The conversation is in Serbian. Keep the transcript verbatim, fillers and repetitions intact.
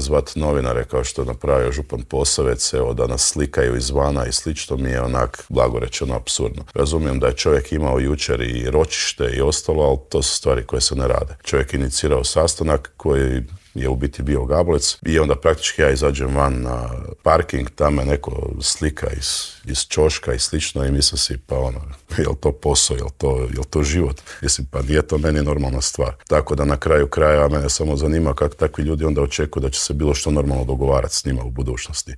zvat novinare kao što je napravio župan Posavec, evo da nas slikaju izvana i slično mi je onak blago rečeno apsurdno. Razumijem da je čovjek imao jučer i ročište i ostalo, ali to su stvari koje se ne rade. Čovjek je inicirao sastanak koji je u biti bio gablec i onda praktički ja izađem van na parking, tamo je neko slika iz, iz ćoška i slično i mislim si pa ono, je li to posao, je li to, je li to život? Mislim pa nije to meni normalna stvar. Tako da na kraju kraja mene samo zanima kako takvi ljudi onda očekuju da će se bilo što normalno dogovarati s njima u budućnosti.